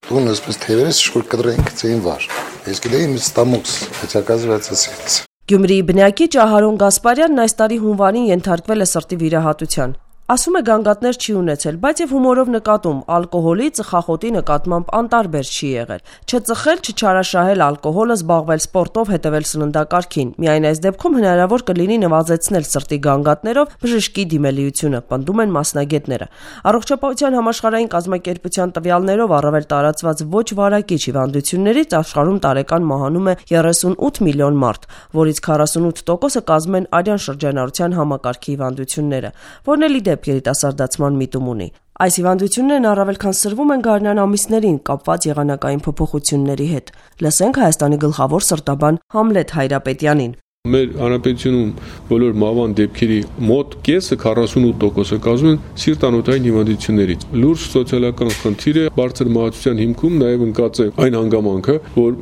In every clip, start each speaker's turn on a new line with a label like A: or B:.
A: Он испытывает, сколько дрянки ценвар. Если да им стамукс, хотя оказывается сеть.
B: Գյումրիի բնակիչ Ահարոն Գասպարյանն այս տարի հունվարին ենթարկվել է սրտի վիրահատության։ Ասում է գանգատներ չի ունեցել, բայց եւ հումորով նկատում ալկոհոլի ծխախոտի նկատմամբ անտարբեր չի եղել։ Չծխել, չչարաշահել ալկոհոլը, զբաղվել սպորտով, հետևել սննդակարգին։ Միայն այս դեպքում հնարավոր կլինի նվազեցնել սրտի գանգատներով բժշկի դիմելիությունը, պնդում են մասնագետները։ Առողջապահության համաշխարհային կազմակերպության տվյալներով առավել տարածված ոչ վարակիչ հիվանդություններից աշխարհում տարեկան մահանում է 38 միլիոն մարդ, որից 48%-ը կազմում են արյան շրջանառության համակարգի հիվանդությունները, որն էլ երիտասարդացման միտում ունի։ Այս հիվանդություններն առավել քան սրվում են գարնան ամիսներին կապված եղանակային փոփոխությունների հետ։ Լսենք Հայաստանի գլխավոր սրտաբան Համլետ Հայրապետյանին։
C: Մեր հանրապետությունում բոլոր մահվան դեպքերի մոտ կեսը 48%-ը կազմում են սիրտանոթային հիվանդություններից։ Լուրջ սոցիալական խնդիր է, բարձր մահացության հիմքում նաև ընկած է այն հանգամանքը, որ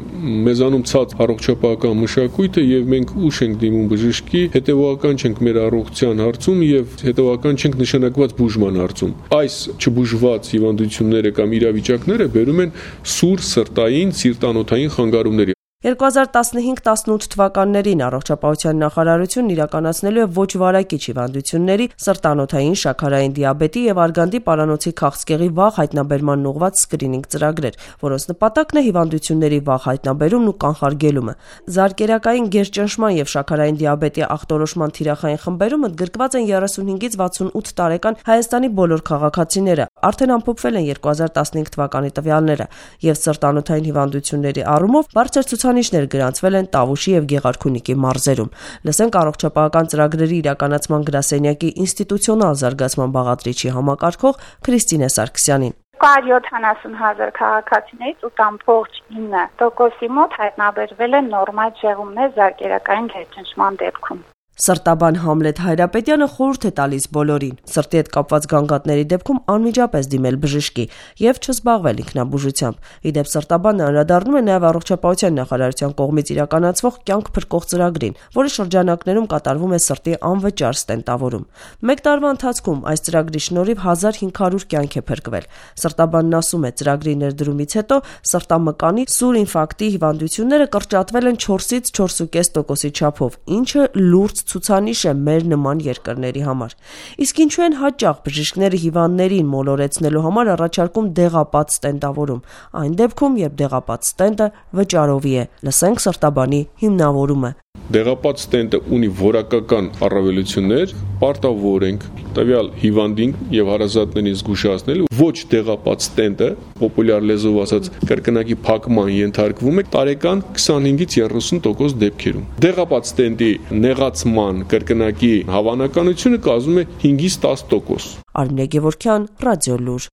C: մեզանում ցած առողջապահական մշակույթը եւ մենք ուշ ենք դիմում բժշկի, հետեւական չենք մեր առողջության հարցում եւ հետեւական չենք նշանակված բուժման հարցում։ Այս չբուժված հիվանդությունները կամ իրավիճակները բերում են սուր սրտային սիրտանոթային խանգարումների։
B: 2015-18 թվականներին առողջապահության նախարարությունն իրականացնելու է ոչ վարակիչ հիվանդությունների, սրտանոթային, շաքարային դիաբետի եւ արգանդի պարանոցի քաղցկեղի վաղ հայտնաբերման ուղղված սկրինինգ ծրագրեր, որոնց նպատակն է հիվանդությունների վաղ հայտնաբերումն ու կանխարգելումը։ Զարկերակային գերճնշման եւ շաքարային դիաբետի ախտորոշման թիրախային խմբերում ընդգրկված են 35-ից 68 տարեկան Հայաստանի բոլոր քաղաքացիները, արդեն ամփոփվել են 2015 թվականի տվյալները, եւ սրտանոթային հիվանդությունների առումով բարձր ցուցանիշներ գրանցվել են Տավուշի եւ Գեղարքունիքի մարզերում։ Լսենք առողջապահական ծրագրերի իրականացման գրասենյակի ինստիտուցիոնալ զարգացման բաղադրիչի համակարգող Քրիստինե Սարգսյանին։
D: 170,000 քաղաքացիներից 8.9%-ի մոտ հայտնաբերվել են նորմալ շեղումներ զարկերակային գերճնշման դեպքում։
B: Սրտաբան Համլետ Հայրապետյանը խորհուրդ է տալիս բոլորին սրտի հետ կապված գանգատների դեպքում անմիջապես դիմել բժշկի եւ չզբաղվել ինքնաբուժությամբ։ Իդեպ սրտաբանը անդրադառնում է նաեւ առողջապահության նախարարության կողմից իրականացվող կյանք փրկող ծրագրին, որի շրջանակներում կատարվում է սրտի անվճար ստենտավորում։ Մեկ տարվա ընթացքում այս ծրագրի շնորհիվ 1500 կյանք է փրկվել։ Սրտաբանն ասում է, ծրագրի ներդրումից հետո սրտամկանի սուր ինֆարկտի հիվանդությունները կրճատվել են 4-ից 4.5%-ի չափով, ինչը լուրջ ցուցանիշ է մեր նման երկրների համար։ Իսկ ինչու են հաճախ բժիշկները հիվանդներին մոլորեցնելու համար առաջարկում դեղապատ ստենտավորում, այն դեպքում, երբ դեղապատ ստենտը վճարովի է։ Լսենք սրտաբանի հիմնավորումը։
C: Դեղապատ ստենտը ունի որակական առավելություններ, պարտավոր ենք տվյալ հիվանդին եւ հարազատներին զգուշացնել, ոչ դեղապատ ստենտը, պոպուլյար լեզվով ասած, կրկնակի փակման ենթարկվում է տարեկան 25-ից 30% դեպքերում։ Դեղապատ ստենտի նեղացման կրկնակի հավանականությունը կազմում է 5-ից 10%։
B: Արմինե Գևորգյան, Ռադիոլուր։